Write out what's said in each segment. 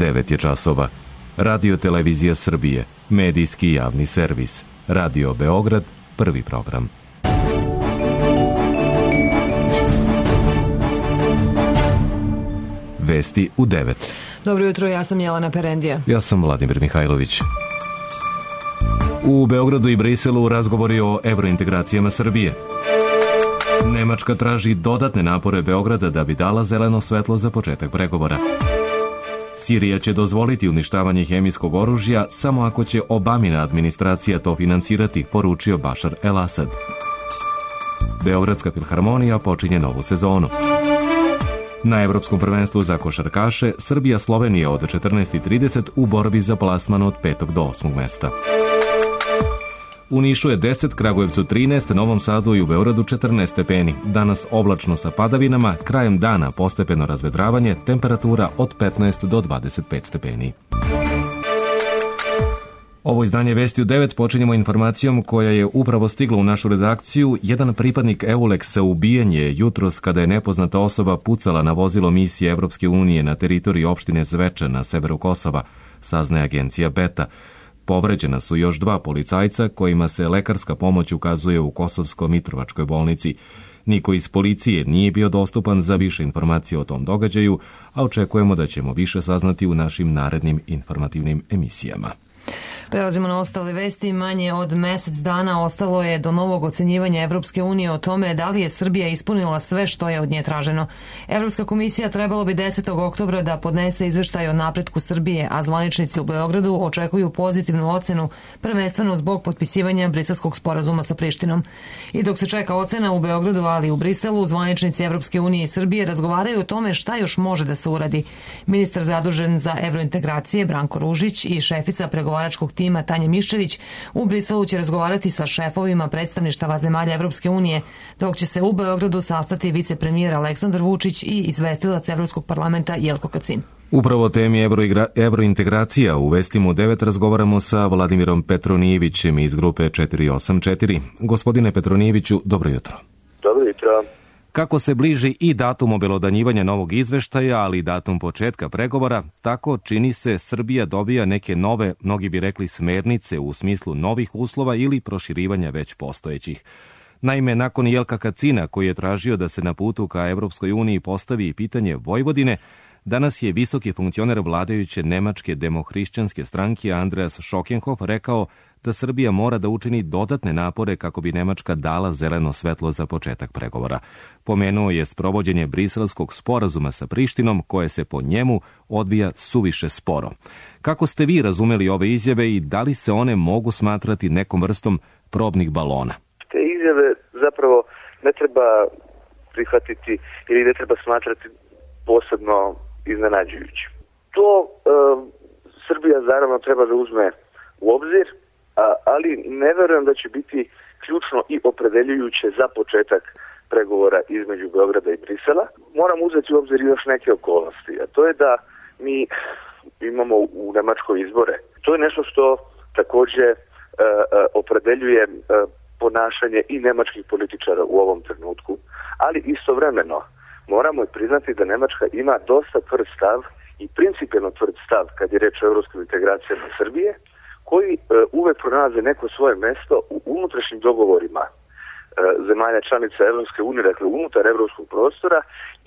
9 je časova. Radio Televizija Srbije, medijski javni servis. Radio Beograd, prvi program. Vesti u 9. Dobro jutro, ja sam Jelena Perendija. Ja sam Vladimir Mihajlović. U Beogradu i Briselu razgovori o evrointegracijama Srbije. Nemačka traži dodatne napore Beograda da bi dala zeleno svetlo za početak pregovora. Sirija će dozvoliti uništavanje hemijskog oružja samo ako će Obamina administracija to finansirati, poručio Bašar el-Asad. Beogradska filharmonija počinje novu sezonu. Na Evropskom prvenstvu za košarkaše Srbija-Slovenija od 14:30 u borbi za plasman od 5. do 8. mesta. U Nišu je 10, Kragujevcu 13, Novom Sadu i u Beogradu 14 stepeni. Danas oblačno sa padavinama, krajem dana postepeno razvedravanje, temperatura od 15 do 25 stepeni. Ovo izdanje Vesti u 9 počinjemo informacijom koja je upravo stigla u našu redakciju. Jedan pripadnik EULEX-a ubijen je jutros kada je nepoznata osoba pucala na vozilo misije Evropske unije na teritoriji opštine Zveča na severu Kosova, saznaje agencija Beta. Povređena su još 2 policajca kojima se lekarska pomoć ukazuje u Kosovsko-Mitrovačkoj bolnici. Niko iz policije nije bio dostupan za više informacije o tom događaju, a očekujemo da ćemo više saznati u našim narednim informativnim emisijama. Prelazimo na ostale vesti. Manje od mesec dana ostalo je do novog ocenjivanja Evropske unije o tome da li je Srbija ispunila sve što je od nje traženo. Evropska komisija trebalo bi 10. oktobra da podnese izveštaj o napretku Srbije, a zvaničnici u Beogradu očekuju pozitivnu ocenu, prvenstveno zbog potpisivanja Briselskog sporazuma sa Prištinom. I dok se čeka ocena u Beogradu, ali i u Briselu, zvaničnici Evropske unije i Srbije razgovaraju o tome šta još može da se uradi. Ministar zadužen za evrointegracije Branko Ružić i šefica pregovaračkog tima Tanja Miščević u Briselu će razgovarati sa šefovima predstavništava zemalja Evropske unije, dok će se u Beogradu sastati vicepremijer Aleksandar Vučić i izvestilac Evropskog parlamenta Jelko Kacin. Upravo o temi evrointegracija u Vestima u 9 razgovaramo sa Vladimirom Petronijevićem iz grupe 484. Gospodine Petronijeviću, dobro jutro. Dobro jutro. Kako se bliži i datum obelodanjivanja novog izveštaja, ali i datum početka pregovora, tako čini se Srbija dobija neke nove, mnogi bi rekli smernice u smislu novih uslova ili proširivanja već postojećih. Naime, nakon Jelka Kacina, koji je tražio da se na putu ka Evropskoj uniji postavi i pitanje Vojvodine, danas je visoki funkcioner vladajuće nemačke demohrišćanske stranke Andreas Schockenhoff rekao da Srbija mora da učini dodatne napore kako bi Nemačka dala zeleno svetlo za početak pregovora. Pomenuo je sprovođenje Briselskog sporazuma sa Prištinom, koje se po njemu odvija suviše sporo. Kako ste vi razumeli ove izjave i da li se one mogu smatrati nekom vrstom probnih balona? Te izjave zapravo ne treba prihvatiti ili ne treba smatrati posebno iznenađujući. To Srbija naravno treba da uzme u obzir, ali ne verujem da će biti ključno i opredeljujuće za početak pregovora između Beograda i Brisela. Moramo uzeti u obzir još neke okolnosti, a to je da mi imamo u Nemačkoj izbore. To je nešto što također opredeljuje ponašanje i nemačkih političara u ovom trenutku, ali istovremeno moramo priznati da Nemačka ima dosta tvrd stav i principijelno tvrd stav kad je reč o evropskim integracijama Srbije, koji uvek pronalaze neko svoje mesto u unutrašnjim dogovorima zemalja članica Evropske unije, dakle unutar evropskog prostora,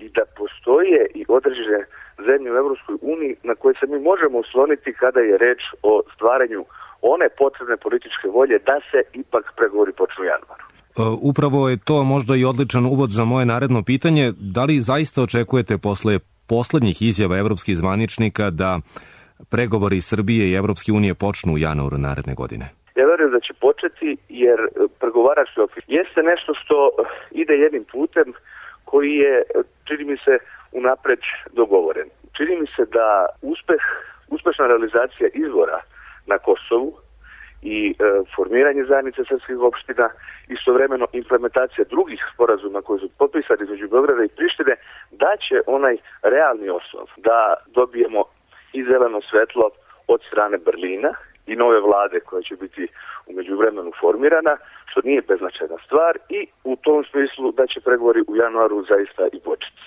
i da postoje i određene zemlje u Evropskoj uniji na koje se mi možemo osloniti kada je reč o stvaranju one potrebne političke volje da se ipak pregovori počnu u januaru. Upravo je to možda i odličan uvod za moje naredno pitanje. Da li zaista očekujete posle poslednjih izjava evropskih zvaničnika da pregovori Srbije i Evropske unije počnu u januaru naredne godine? Ja verujem da će početi, jer pregovarački okvir jeste nešto što ide jednim putem koji je, čini mi se, unapred dogovoren. Čini mi se da uspešna realizacija izbora na Kosovu i formiranje zajednice srpskih opština, istovremeno implementacija drugih sporazuma koji su potpisani između Beograda i Prištine, da će onaj realni osnov da dobijemo i zeleno svetlo od strane Berlina i nove vlade koja će biti u međuvremenu formirana, što nije beznačajna stvar, i u tom smislu da će pregovori u januaru zaista i početi.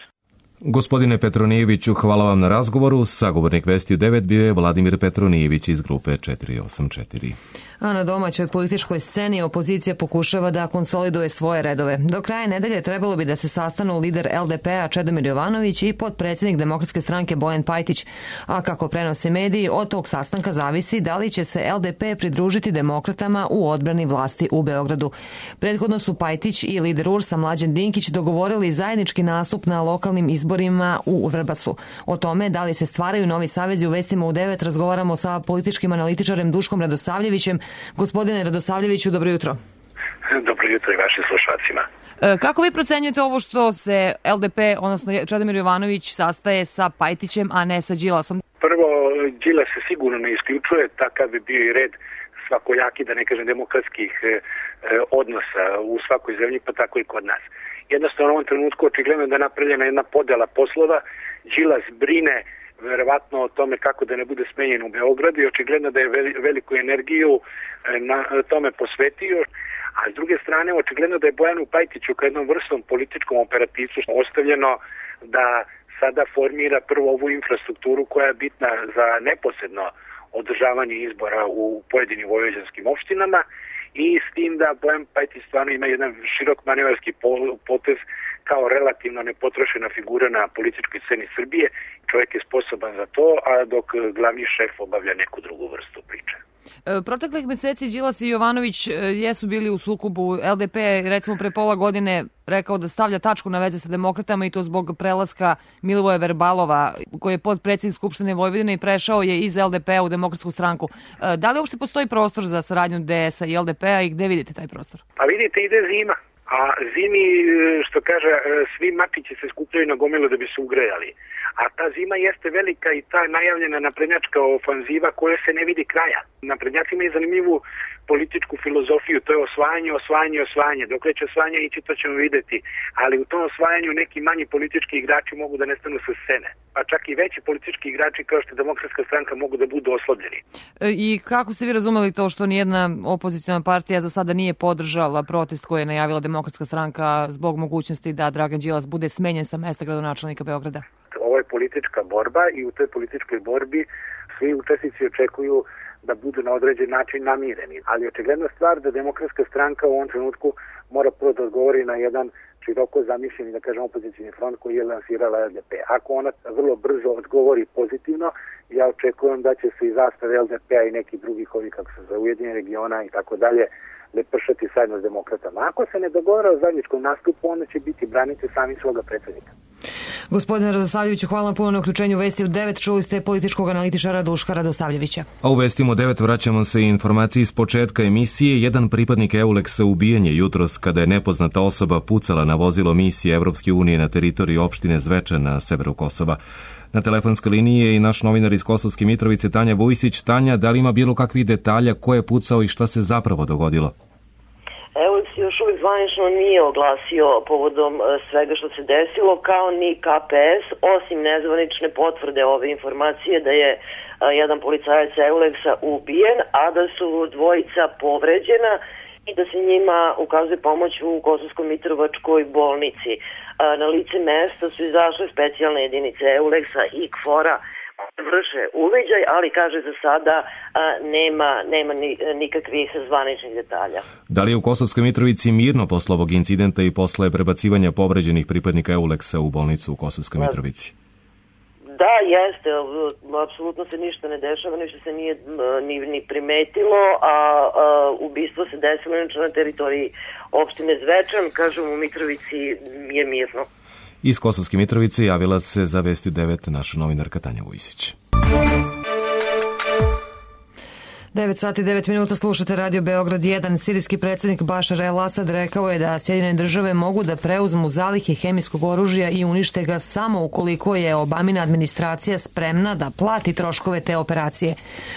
Gospodine Petronijeviću, hvala vam na razgovoru. Sagovornik Vesti u 9 bio je Vladimir Petronijević iz grupe 484. A na domaćoj političkoj sceni opozicija pokušava da konsoliduje svoje redove. Do kraja nedelje trebalo bi da se sastanu lider LDP-a Čedomir Jovanović i potpredsjednik Demokratske stranke Bojan Pajtić. A kako prenose mediji, od tog sastanka zavisi da li će se LDP pridružiti demokratama u odbrani vlasti u Beogradu. Prethodno su Pajtić i lider URS-a Mlađan Dinkić dogovorili zajednički nastup na lokalnim izborima u Vrbasu. O tome da li se stvaraju novi savezi u Vestima u 9 razgovaramo sa političkim analitičarem Duškom Radosavljevićem. Gospodine Radosavljeviću, dobro jutro. Dobro jutro i vašim slušalcima. Kako vi procenjujete ovo što se LDP, odnosno Čedomir Jovanović, sastaje sa Pajtićem, a ne sa Đilasom? Prvo, Đilas se sigurno ne isključuje, takav bi bio i red svakojaki, da ne kažem demokratskih odnosa u svakoj zemlji, pa tako i kod nas. Jednostavno u ovom trenutku očigledno da je napravljena jedna podela poslova. Đilas brine verovatno o tome kako da ne bude smenjen u Beogradu i očigledno da je veliku energiju na tome posvetio. A s druge strane, očigledno da je Bojanu Pajtiću kao jednom vrstom političkom operativcu ostavljeno da sada formira prvo ovu infrastrukturu koja je bitna za neposredno održavanje izbora u pojedinim vojvođanskim opštinama i s tim da Bojan Pajtić stvarno ima jedan širok manevarski potez kao relativno nepotrošena figura na političkoj sceni Srbije. Čovjek je sposoban za to, a dok glavni šef obavlja neku drugu vrstu priče. Proteklih meseci Đilas i Jovanović jesu bili u sukobu. LDP je recimo pre pola godine rekao da stavlja tačku na veze sa demokratama i to zbog prelaska Milivoja Verbalova, koji je potpredsjednik Skupštine Vojvodine i prešao je iz LDP-a u Demokratsku stranku. Da li uopšte postoji prostor za saradnju DS-a i LDP-a i gde vidite taj prostor? Pa vidite, ide zima. A zimi, što kaže, svi mačići se skupljaju na gomilu da bi se ugrejali. A ta zima jeste velika i ta najavljena naprednjačka ofanziva koja se ne vidi kraja. Naprednjaci imaju zanimljivu političku filozofiju, to je osvajanje. Dokle će osvajanje ići, to ćemo videti. Ali u tom osvajanju neki manji politički igrači mogu da nestanu sa scene. Pa čak i veći politički igrači kao što je Demokratska stranka mogu da budu oslabljeni. I kako ste vi razumeli to što nijedna opoziciona partija za sada nije podržala protest koji je najavila Demokratska stranka zbog mogućnosti da Dragan Đilas bude smenjen sa mesta gradonačelnika Beograda? Ovo je politička borba i u toj političkoj borbi svi učesnici očekuju da budu na određen način namireni. Ali očigledna stvar da Demokratska stranka u ovom trenutku mora prvo da odgovori na jedan široko zamišljeni, da kažem, opozicioni front koji je lansirala LDP. Ako ona vrlo brzo odgovori pozitivno, ja očekujem da će se i zastave LDP-a i neki drugih ovih, kako se zove, Ujedinjenih regiona i tako dalje, lepršati zajedno s demokratama. Ako se ne dogovore o zajedničkom nastupu, onda će biti braniti sami svoga predsjednika. Gospodine Radosavljeviću, hvala puno na uključenju Vesti u 9. Čuli ste političkog analitičara Duška Radosavljevića. A u Vestima u 9 vraćamo se i informaciji iz početka emisije. Jedan pripadnik EULEX-a ubijen je jutros kada je nepoznata osoba pucala na vozilo misije Evropske unije na teritoriji opštine Zvečan na severu Kosova. Na telefonskoj liniji je i naš novinar iz Kosovske Mitrovice Tanja Vujsić. Tanja, da li ima bilo kakvih detalja ko je pucao i šta se zapravo dogodilo? EULEX još uvijek zvanično nije oglasio povodom svega što se desilo, kao ni KPS, osim nezvanične potvrde ove informacije da je jedan policajac EULEX-a ubijen, a da su dvojica povređena i da se njima ukazuje pomoć u Kosovsko-Mitrovačkoj bolnici. Na lice mesta su izašle specijalne jedinice EULEX-a i KFOR-a vrše uviđaj, ali kaže za sada nema nikakvih zvaničnih detalja. Da li je u Kosovskoj Mitrovici mirno posle ovog incidenta i posle prebacivanja povređenih pripadnika EULEX-a u bolnicu u Kosovskoj Mitrovici? Da, jeste. Apsolutno se ništa ne dešava, ništa se nije ni primetilo, a ubistvo se desilo na teritoriji opštine Zvečan, kažem u Mitrovici je mirno. Iz Kosovske Mitrovice javila se za Vesti u 9 naša novinarka Tanja Vujsić. 9 sati 9 minuta slušate Radio Beograd 1. Sirijski predsjednik Bašar el-Asad rekao je da Sjedinjene države mogu da preuzmu zalihe hemijskog oružja i unište ga samo ukoliko je Obamina administracija spremna da plati troškove te operacije.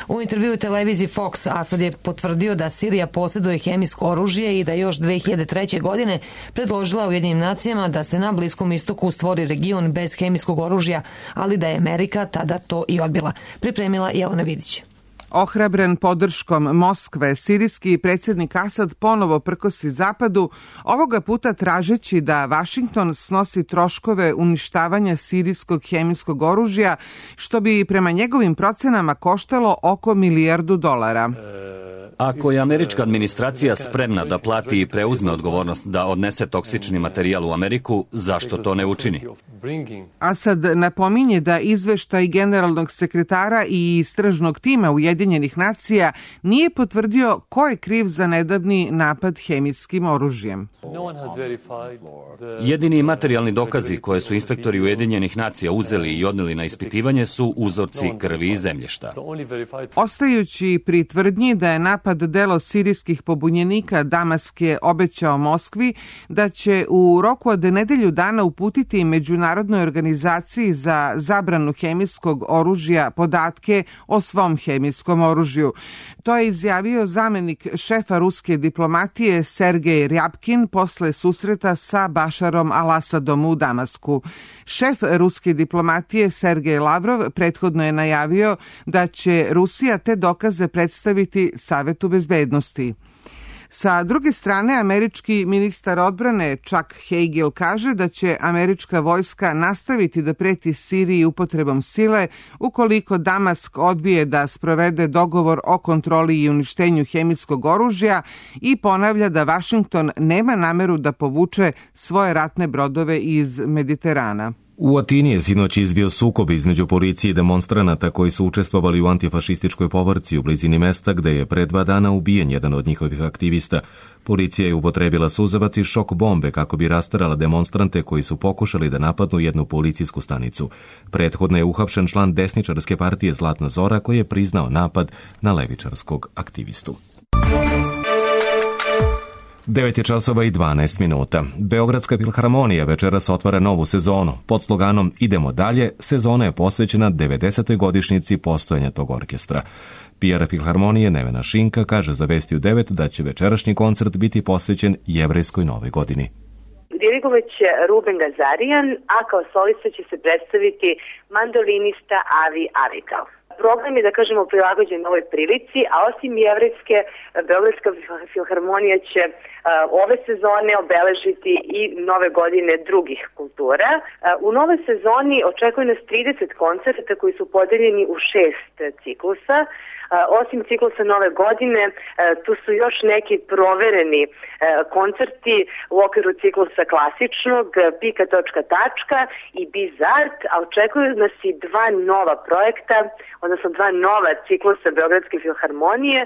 U intervjuu televiziji Fox Asad je potvrdio da Sirija posjeduje hemijsko oružje i da još 2003. godine predložila Ujedinjenim nacijama da se na Bliskom istoku stvori region bez hemijskog oružja, ali da je Amerika tada to i odbila. Pripremila Jelena Vidić. Ohrabren podrškom Moskve, sirijski predsjednik Asad ponovo prkosi zapadu, ovoga puta tražeći da Vašington snosi troškove uništavanja sirijskog hemijskog oružja, što bi prema njegovim procenama koštalo oko $1 milijardu. Ako je američka administracija spremna da plati i preuzme odgovornost da odnese toksični materijal u Ameriku, zašto to ne učini? Asad napominje da izveštaj generalnog sekretara i istražnog tima Ujedinjenih nacija nije potvrdio ko je kriv za nedavni napad hemijskim oružjem. Jedini materijalni dokazi koje su inspektori Ujedinjenih nacija uzeli i odneli na ispitivanje su uzorci krvi i zemljišta. Ostajući pri tvrdnji da je napad delo sirijskih pobunjenika, Damask je obećao Moskvi da će u roku od nedelju dana uputiti Međunarodnoj organizaciji za zabranu hemijskog oružja podatke o svom hemijskom oružju. To je izjavio zamenik šefa ruske diplomatije Sergej Rjabkin posle susreta sa Bašarom al-Asadom u Damasku. Šef ruske diplomatije Sergej Lavrov prethodno je najavio da će Rusija te dokaze predstaviti Savetu bezbednosti. Sa druge strane, američki ministar odbrane Chuck Hagel kaže da će američka vojska nastaviti da preti Siriji upotrebom sile ukoliko Damask odbije da sprovede dogovor o kontroli i uništenju hemijskog oružja i ponavlja da Vašington nema nameru da povuče svoje ratne brodove iz Mediterana. U Atini je sinoć izbio sukob između policije i demonstranata koji su učestvovali u antifašističkoj povorci u blizini mesta gde je pre 2 dana ubijen jedan od njihovih aktivista. Policija je upotrebila suzavac i šok bombe kako bi rastarala demonstrante koji su pokušali da napadnu jednu policijsku stanicu. Prethodno je uhapšen član desničarske partije Zlatna Zora koji je priznao napad na levičarskog aktivistu. 9:12. Beogradska filharmonija večeras otvara novu sezonu. Pod sloganom Idemo dalje, sezona je posvećena 90. godišnjici postojanja tog orkestra. PR filharmonije Nevena Šinka kaže za Vesti u 9 da će večerašnji koncert biti posvećen jevrejskoj novoj godini. Dirigovat će Ruben Gazarian, a kao solista će se predstaviti mandolinista Avi Avigal. Program je, da kažemo, prilagođen ovoj prilici, a osim jevrejske, Beogradska filharmonija će ove sezone obeležiti i nove godine drugih kultura. U nove sezoni očekuje nas 30 koncerta koji su podeljeni u 6 ciklusa. Osim ciklusa nove godine, tu su još neki provereni koncerti u okviru ciklusa klasičnog, Pika točka tačka i Bizart, a očekuju nas i 2 nova projekta, odnosno 2 nova ciklusa Beogradske filharmonije,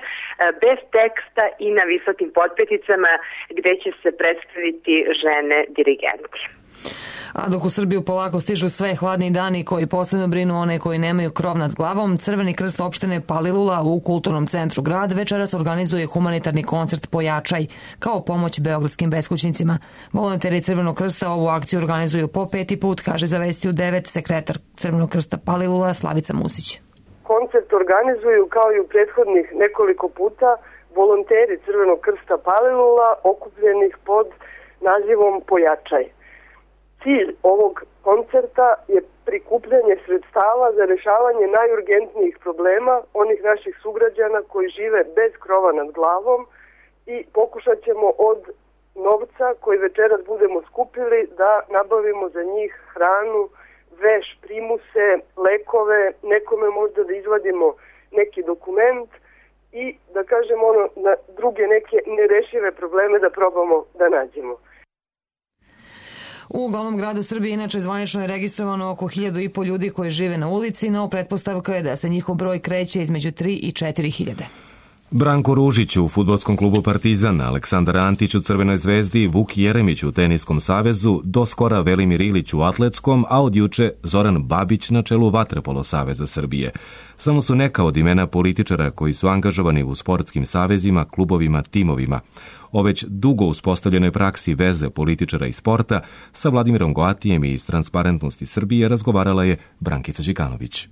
bez teksta i na visokim potpeticama, gde će se predstaviti žene dirigenti. A dok u Srbiju polako stižu sve hladni dani koji posebno brinu one koji nemaju krov nad glavom, Crveni krst opštine Palilula u Kulturnom centru grad večeras organizuje humanitarni koncert Pojačaj kao pomoć beogradskim beskućnicima. Volonteri Crvenog krsta ovu akciju organizuju po 5. put, kaže za Vesti u 9 sekretar Crvenog krsta Palilula Slavica Musić. Koncert organizuju kao i u prethodnih nekoliko puta volonteri Crvenog krsta Palilula okupljenih pod nazivom Pojačaj. Cilj ovog koncerta je prikupljanje sredstava za rešavanje najurgentnijih problema onih naših sugrađana koji žive bez krova nad glavom i pokušat ćemo od novca koji večeras budemo skupili da nabavimo za njih hranu, veš, primuse, lekove, nekome možda da izvadimo neki dokument i da kažemo na druge neke nerešive probleme da probamo da nađemo. U glavnom gradu Srbije inače zvanično je registrovano oko 1.500 ljudi koji žive na ulici, no pretpostavka je da se njihov broj kreće između 3 i 4.000. Branko Ružić u fudbalskom klubu Partizan, Aleksandar Antić u Crvenoj zvezdi, Vuk Jeremić u Teniskom savezu, do skora Velimir Ilić u Atletskom, a od juče Zoran Babić na čelu Vaterpolo saveza Srbije. Samo su neka od imena političara koji su angažovani u sportskim savezima, klubovima, timovima. O već dugo uspostavljenoj praksi veze političara i sporta sa Vladimirom Goatijem iz Transparentnosti Srbije razgovarala je Brankica Đikanović.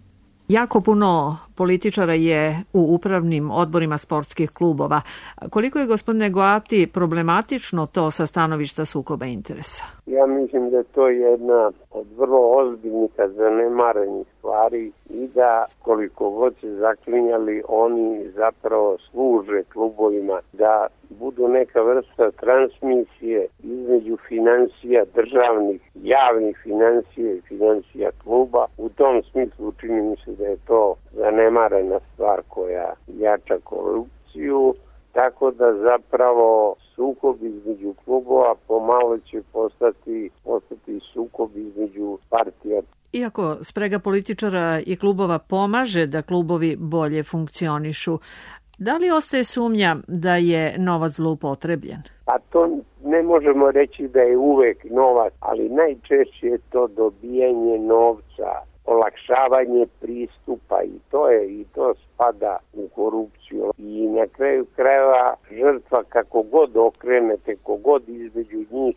Jako puno političara je u upravnim odborima sportskih klubova. Koliko je, gospodine Goati, problematično to sa stanovišta sukoba interesa? Ja mislim da je to jedna od vrlo ozbiljnih, zanemarenih stvari i da koliko god se zaklinjali, oni zapravo služe klubovima da budu neka vrsta transmisije između financija državnih, javnih financija i financija kluba. U tom smislu čini mi se da je to zanemarena stvar koja jača korupciju, tako da zapravo sukob između klubova pomalo će postati sukob između partija. Iako sprega političara i klubova pomaže da klubovi bolje funkcionišu, da li ostaje sumnja da je novac zloupotrebljen? Pa to ne možemo reći da je uvek novac, ali najčešće je to dobijanje novca, olakšavanje pristupa i to spada u korupciju. I na kraju krajeva žrtva kako god okrenete, kogod između njih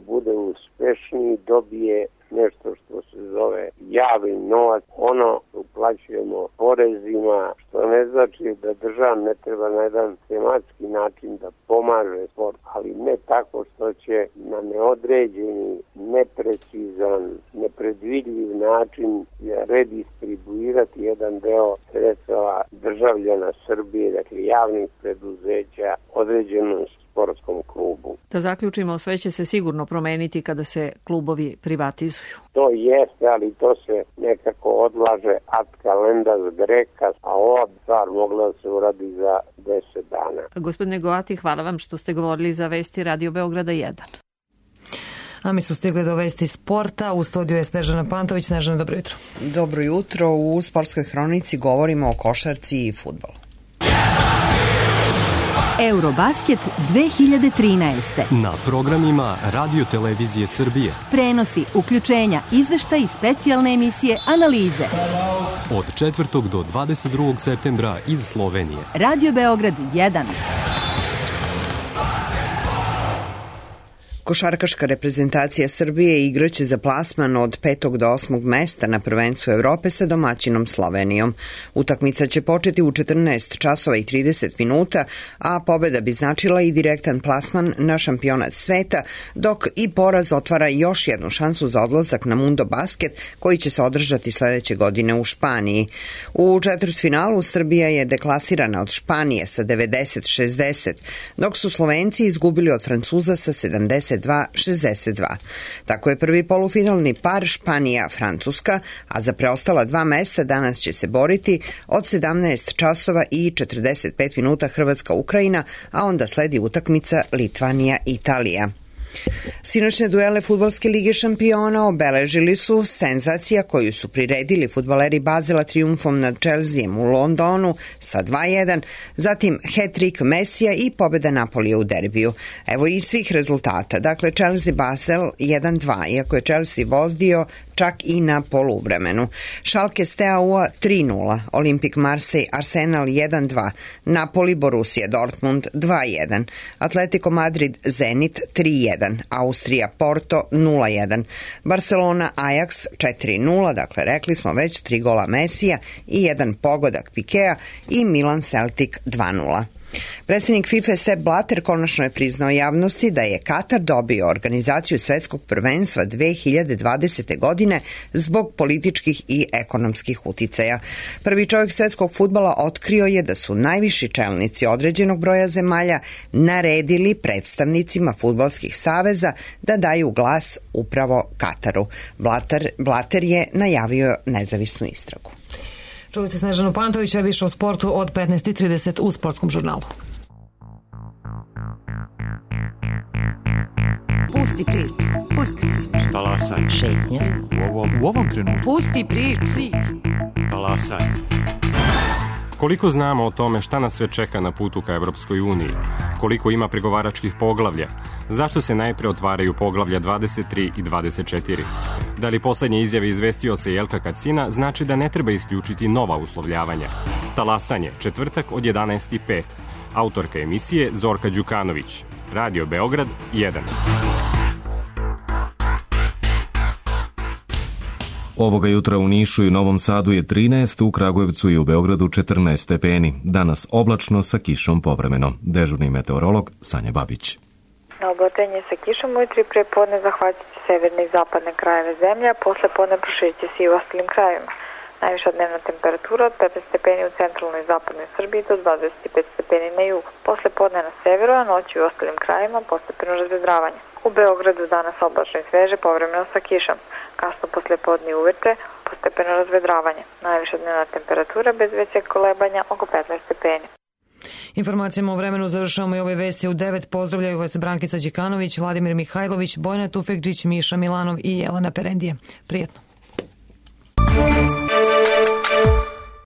bude uspešniji, dobije nešto što se zove javni novac. Ono uplaćujemo porezima, što ne znači da država ne treba na jedan tematski način da pomaže sport, ali ne tako što će na neodređeni, neprecizan, nepredvidljiv način redistribuirati jedan deo sredstava državljana Srbije, dakle javnih preduzeća, određenom sportskom klubu. Da zaključimo, sve će se sigurno promeniti kada se klubovi privatizuju. To jeste, ali to se nekako odlaže ad calendas graecas, a ova stvar mogla da se uradi za 10 dana. Gospodine Goati, hvala vam što ste govorili za Vesti Radio Beograda 1. A mi smo stigli do vesti sporta. U studiju je Snežana Pantović. Snežana, dobro jutro. Dobro jutro. U sportskoj hronici govorimo o košarci i fudbalu. Eurobasket 2013. Na programima Radio Televizije Srbije. Prenosi, uključenja, izveštaj i specijalne emisije, analize. Od 4. do 22. septembra iz Slovenije. Radio Beograd 1. Košarkaška reprezentacija Srbije igraće za plasman od 5. do 8. mesta na prvenstvu Evrope sa domaćinom Slovenijom. Utakmica će početi u 14 časova i 30 minuta, a pobeda bi značila i direktan plasman na šampionat sveta, dok i poraz otvara još jednu šansu za odlazak na Mundo Basket, koji će se održati sledeće godine u Španiji. U četvrtfinalu Srbija je deklasirana od Španije sa 90-60, dok su Slovenci izgubili od Francuza sa 72-62. Tako je prvi polufinalni par Španija-Francuska, a za preostala 2 mesta danas će se boriti od 17 časova i 45 minuta Hrvatska-Ukrajina, a onda sledi utakmica Litvanija-Italija. Sinoćne duele Fudbalske lige šampiona obeležili su senzacija koju su priredili fudbaleri Bazela trijumfom nad Chelseaem u Londonu sa 2-1, zatim hat-trick Mesija i pobeda Napolija u derbiju. Evo i svih rezultata. Dakle, Chelsea-Basel 1-2, iako je Chelsea vodio čak i na poluvremenu. Schalke Steaua 3-0, Olimpik Marseille Arsenal 1-2, Napoli Borussia Dortmund 2-1, Atletico Madrid Zenit 3-1, Austrija Porto 0-1, Barcelona Ajax 4-0, dakle rekli smo već 3 gola Mesija i 1 pogodak Pikea i Milan Celtic 2-0. Predsjednik FIFA Sepp Blatter konačno je priznao javnosti da je Katar dobio organizaciju svetskog prvenstva 2020. godine zbog političkih i ekonomskih uticaja. Prvi čovjek svetskog fudbala otkrio je da su najviši čelnici određenog broja zemalja naredili predstavnicima fudbalskih saveza da daju glas upravo Kataru. Blatter je najavio nezavisnu istragu. Čuli ste Snežanu Pantović, a više o sportu od 15:30 u Sportskom žurnalu. Pusti priču. Talasanje. Šetnja. U ovom trenutku. Pusti priču. Talasanje. Koliko znamo o tome šta nas sve čeka na putu ka Evropskoj uniji? Koliko ima pregovaračkih poglavlja? Zašto se najpre otvaraju poglavlja 23 i 24? Da li poslednje izjave izvestioca Jelka Kacina znači da ne treba isključiti nova uslovljavanja? Talasanje, četvrtak od 11:05. Autorka emisije Zorka Đukanović. Radio Beograd 1. Ovoga jutra u Nišu i Novom Sadu je 13, u Kragujevcu i u Beogradu 14 stepeni. Danas oblačno sa kišom povremeno. Dežurni meteorolog Sanja Babić. Oblatenje sa kišom ujutri prije podne zahvatit će severne i zapadne krajeve zemlje, a posle podne proširit će se i u ostalim krajevima. Najviša dnevna temperatura od 15 stepeni u centralnoj i zapadnoj Srbiji do 25 stepeni na jugu. Posle podne na severu, a noći u ostalim krajevima postepeno razvedravanje. U Beogradu danas oblačno i sveže, povremeno sa kišom. Kasno posle podne i uveče postepeno razvedravanje. Najviša dnevna temperatura bez većeg kolebanja oko 15 stepeni. Informacijama o vremenu završavamo i ove vesti u 9. Pozdravljaju vas Brankica Đikanović, Vladimir Mihajlović, Bojana Tufekđić, Miša Milanov i Jelena Perendije. Prijetno.